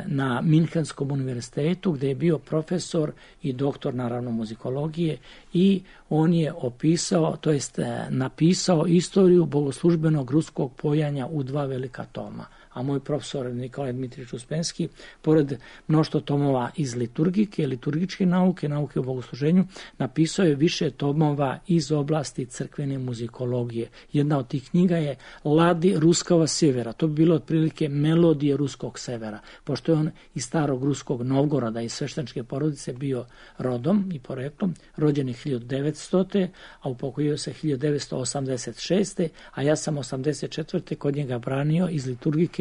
na Minhenskom univerzitetu gdje je bio profesor i doktor naravno muzikologije, i on je opisao, to jest napisao istoriju bogoslužbenog ruskog pojanja u 2 velika toma. A moj profesor Nikolaj Dmitrijević Uspenski, pored mnoštvo tomova iz liturgike, liturgičke nauke, nauke o bogosluženju, napisao je više tomova iz oblasti crkvene muzikologije. Jedna od tih knjiga je Ladi ruskого sjevera. To bi bilo otprilike melodije ruskog severa, pošto je on iz starog ruskog Novgoroda, iz svešteničke porodice bio rodom i poreklom, rođen je 1900. a upokojio se 1986. a ja sam 84. kod njega branio iz liturgike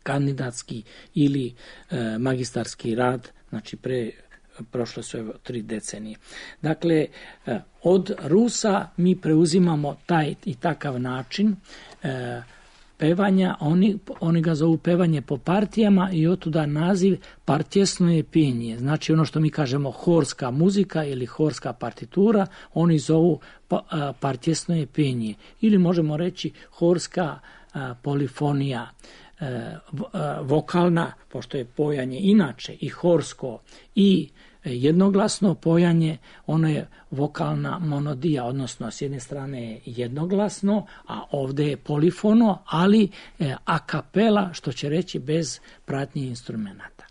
kandidatski ili magistarski rad, znači prošle su 3 decenije. Dakle, od Rusa mi preuzimamo taj i takav način pevanja, oni ga zovu pevanje po partijama i otuda naziv partjesno je penje. Znači ono što mi kažemo horska muzika ili horska partitura, oni zovu partjesno je penje. Ili možemo reći horska polifonija, vokalna, pošto je pojanje inače i horsko i jednoglasno pojanje, ono je vokalna monodija, odnosno s jedne strane je jednoglasno, a ovdje je polifono, ali a kapela, što će reći bez pratnje instrumenta.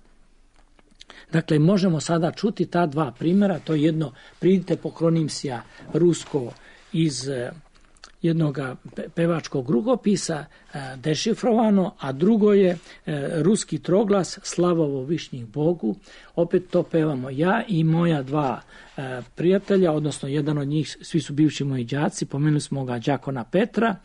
Dakle, možemo sada čuti ta 2 primjera, to je jedno Pridite poklonim se rusko iz jednog pevačkog rukopisa dešifrovano, a drugo je ruski troglas Slavovo višnjih Bogu. Opet to pevamo ja i moja dva prijatelja, odnosno jedan od njih, svi su bivši moji đaci, pomenuli smo ga đakona Petra,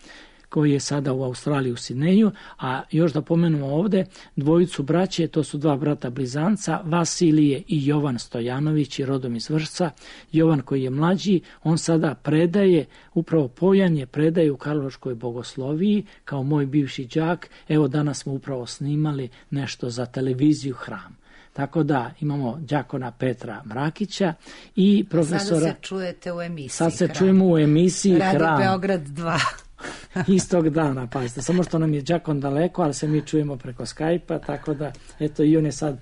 koji je sada u Australiji u Sidneju, a još da pomenemo ovde dvojicu braće, to su dva brata blizanca, Vasilije i Jovan Stojanović, rodom iz Vršca. Jovan koji je mlađi, on sada predaje, upravo pojanje predaje u Karlovačkoj bogosloviji kao moj bivši đak. Evo danas smo upravo snimali nešto za televiziju Hram. Tako da imamo đakona Petra Mrakića i profesora... Sada se čujete u emisiji Sad se čujemo u emisiji Radio Hram. Beograd 2. Istog dana, pazite, samo što nam je đakon daleko, ali se mi čujemo preko Skype-a, tako da, eto, i on je sad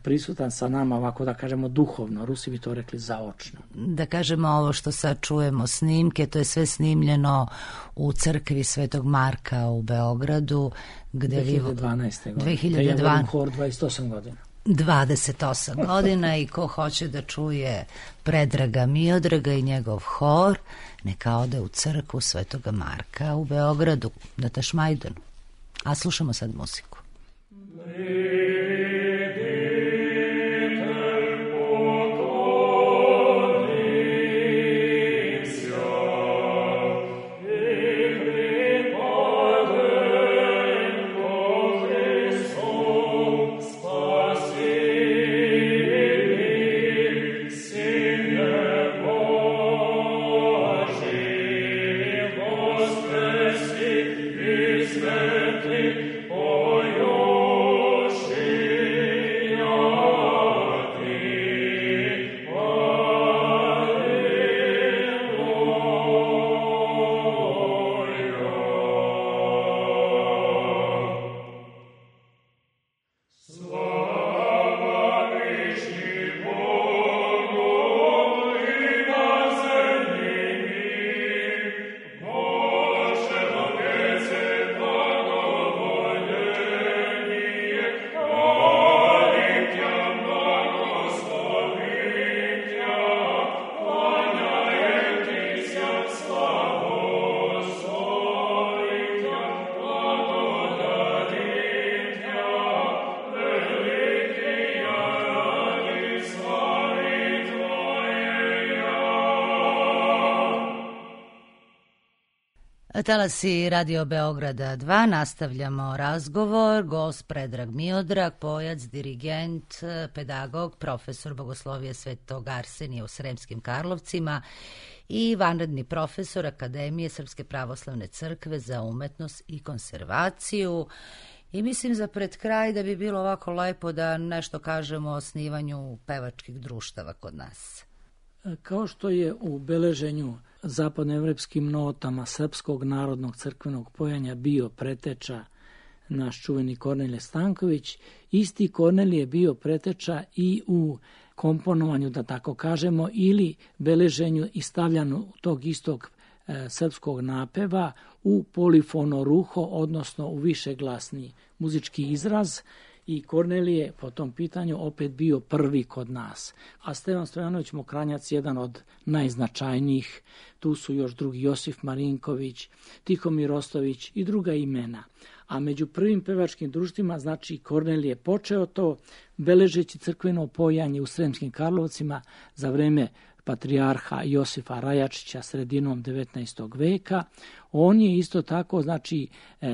prisutan sa nama, ovako da kažemo duhovno, Rusi bi to rekli zaočno. Da kažemo ovo što sad čujemo snimke, to je sve snimljeno u crkvi Svetog Marka u Beogradu, gde 2012. godine. 2012. Hor 28 godina. 28 godina i ko hoće da čuje Predraga Miodraga i njegov hor, neka ode u crkvu Svetoga Marka u Beogradu, na Tašmajdanu. A slušamo sad muziku. Talasi Radio Beograda 2, nastavljamo razgovor. Gost Predrag Miodrag, pojac, dirigent, pedagog, profesor bogoslovije Svetog Arsenija u Sremskim Karlovcima i vanredni profesor Akademije Srpske pravoslavne crkve za umetnost i konservaciju. I mislim za pred kraj da bi bilo ovako lepo da nešto kažemo o osnivanju pevačkih društava kod nas. Kao što je u beleženju zapadnoevropskim notama Srpskog narodnog crkvenog pojanja bio preteča naš čuveni Kornelije Stanković, isti Kornelije je bio preteča i u komponovanju, da tako kažemo, ili beleženju i stavljanju tog istog srpskog napeva u polifonoruho, odnosno u višeglasni muzički izraz. I Kornelije po tom pitanju opet bio prvi kod nas. A Stevan Stojanović Mokranjac jedan od najznačajnijih, tu su još drugi Josif Marinković, Tihomir Ostović i druga imena. A među prvim pevačkim društvima, znači Kornelije počeo to, beležeći crkveno pojanje u Sremskim Karlovcima za vreme patrijarha Josifa Rajačića sredinom 19. veka. On je isto tako, znači,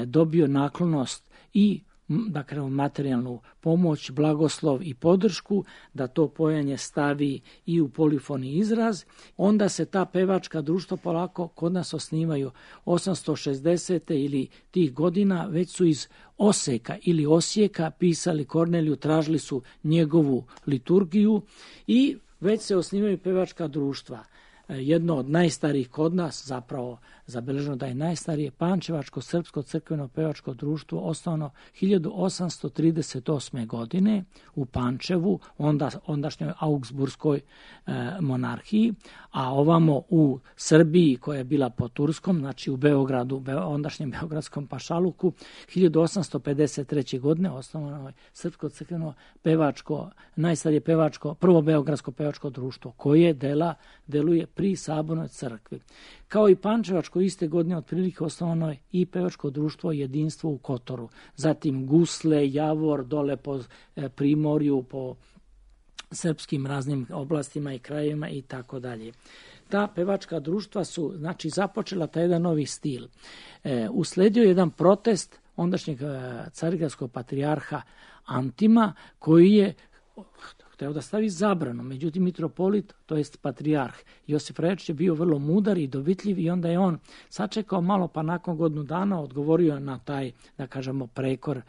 dobio naklonost i da kažemo materijalnu pomoć, blagoslov i podršku da to pojanje stavi i u polifoni izraz. Onda se ta pevačka društva polako kod nas osnivaju 860. ili tih godina, već su iz Oseka ili Osijeka pisali Korneliju, tražili su njegovu liturgiju i već se osnivaju pevačka društva. Jedno od najstarijih kod nas, zapravo zabeleženo da je najstarije, Pančevačko srpsko crkveno pevačko društvo, osnovano 1838. godine u Pančevu, ondašnjoj Augsburskoj monarhiji, a ovamo u Srbiji, koja je bila po Turskom, znači u Beogradu, ondašnjem Beogradskom pašaluku, 1853. godine osnovano je srpsko crkveno pevačko, najstarije pevačko, prvo beogradsko pevačko društvo, koje deluje pri Sabornoj crkvi. Kao i Pančevačko, iste godine otprilike osnovano je i pevačko društvo Jedinstvo u Kotoru. Zatim Gusle, Javor, dole po Primorju, po srpskim raznim oblastima i krajevima i tako dalje. Ta pevačka društva su započela taj jedan novi stil. Usledio jedan protest ondašnjeg carigradskog patrijarha Antima, koji je hteo da stavi zabranu. Međutim, mitropolit, to jest patrijarh Josif Rajačić, je bio vrlo mudar i dovitljiv i onda je on sačekao malo, pa nakon godinu dana odgovorio na taj, da kažemo, prekor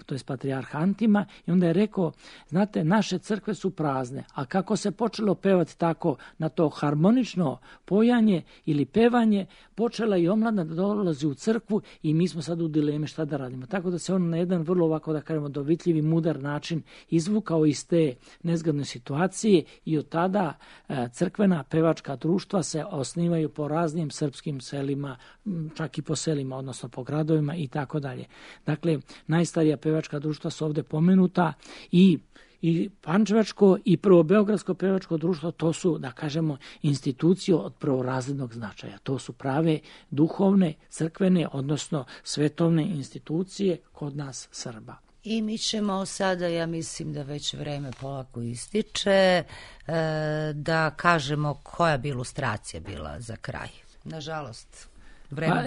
to jest patrijarha Antima, i onda je rekao, znate, naše crkve su prazne, a kako se počelo pevati tako na to harmonično pojanje ili pevanje, počela i omladina da dolazi u crkvu i mi smo sad u dilemi šta da radimo. Tako da se on na jedan vrlo ovako, da kažemo, dovitljiv i mudar način izvukao iz te nezgodne situacije i od tada crkvena pevačka društva se osnivaju po raznim srpskim selima, čak i po selima, odnosno po gradovima i tako dalje. Dakle, najstarija pevačka društva su ovdje pomenuta i Pančevačko i prvo Beogradsko pevačko društvo, to su, da kažemo, institucije od prvorazrednog značaja. To su prave duhovne, crkvene, odnosno svetovne institucije kod nas Srba. I mi ćemo sada, ja mislim da već vreme polako ističe, da kažemo koja bi ilustracija bila za kraj. Nažalost,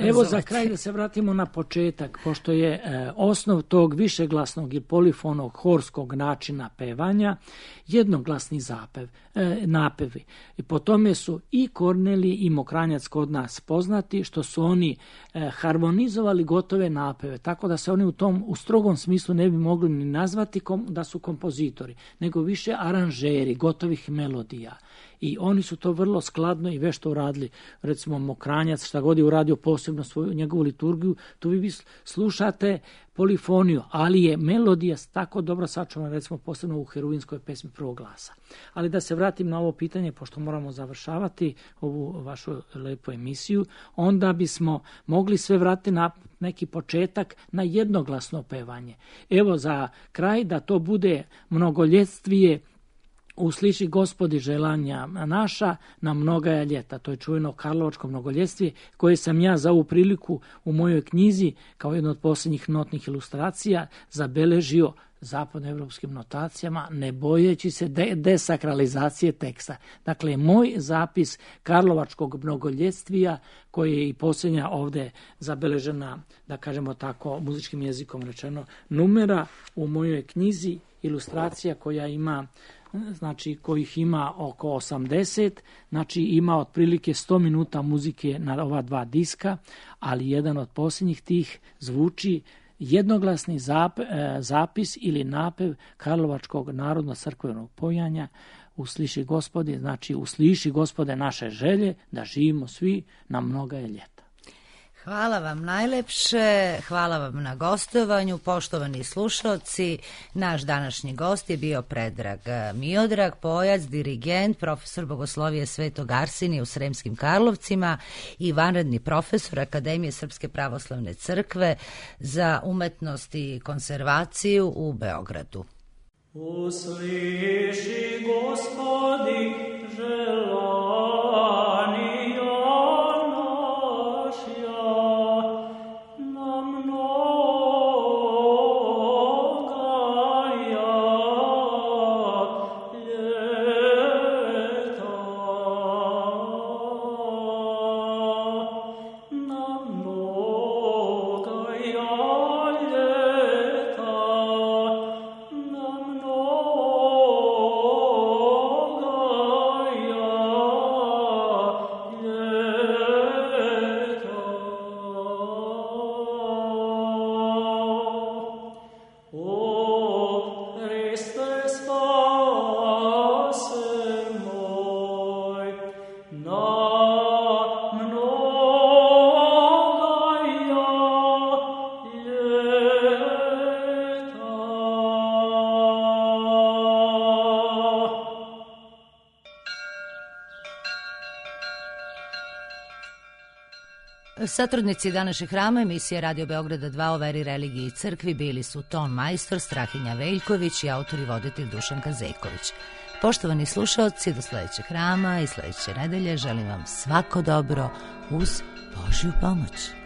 evo za kraj da se vratimo na početak, pošto je osnov tog višeglasnog i polifonog horskog načina pevanja jednoglasni napevi. I po tome su i Kornelije i Mokranjac kod nas poznati, što su oni harmonizovali gotove napeve, tako da se oni u strogom smislu ne bi mogli ni nazvati da su kompozitori, nego više aranžeri gotovih melodija. I oni su to vrlo skladno i vešto uradili. Recimo Mokranjac, šta god je uradio posebno svoju njegovu liturgiju, tu vi slušate polifoniju, ali je melodija tako dobro sačuvana, recimo posebno u heruinskoj pesmi prvog glasa. Ali da se vratim na ovo pitanje, pošto moramo završavati ovu vašu lepu emisiju, onda bismo mogli sve vratiti na neki početak, na jednoglasno pevanje. Evo za kraj da to bude mnogoljetvije Usliši Gospodi želanja naša na mnogaja ljeta. To je čuveno karlovačko mnogoljetvije koje sam ja za ovu priliku u mojoj knjizi kao jedno od posljednjih notnih ilustracija zabeležio zapadnoevropskim notacijama, ne bojeći se desakralizacije teksta. Dakle, moj zapis karlovačkog mnogoljetvija, koji je i posljednja ovdje zabeležena, da kažemo tako, muzičkim jezikom rečeno, numera u mojoj knjizi, ilustracija koja ima, znači kojih ima oko 80, znači ima otprilike 100 minuta muzike na ova dva diska, ali jedan od posljednjih tih zvuči jednoglasni zapis ili napev karlovačkog narodno-crkvenog pojanja Usliši Gospodi, znači usliši Gospode naše želje da živimo svi na mnogaja ljeta. Hvala vam najlepše, hvala vam na gostovanju, poštovani slušalci. Naš današnji gost je bio Predrag Miodrag, pojac, dirigent, profesor bogoslovije Svetog Arsenija u Sremskim Karlovcima i vanredni profesor Akademije Srpske pravoslavne crkve za umetnost i konzervaciju u Beogradu. Usliši Gospodi želanja Satrudnici današnjeg hrama emisije Radio Beograda 2 o veri, religiji i crkvi bili su ton majstor Strahinja Veljković i autor i voditelj Dušan Kazejković. Poštovani slušaoci, do sledećeg hrama i sledeće nedelje želim vam svako dobro uz Božju pomoć.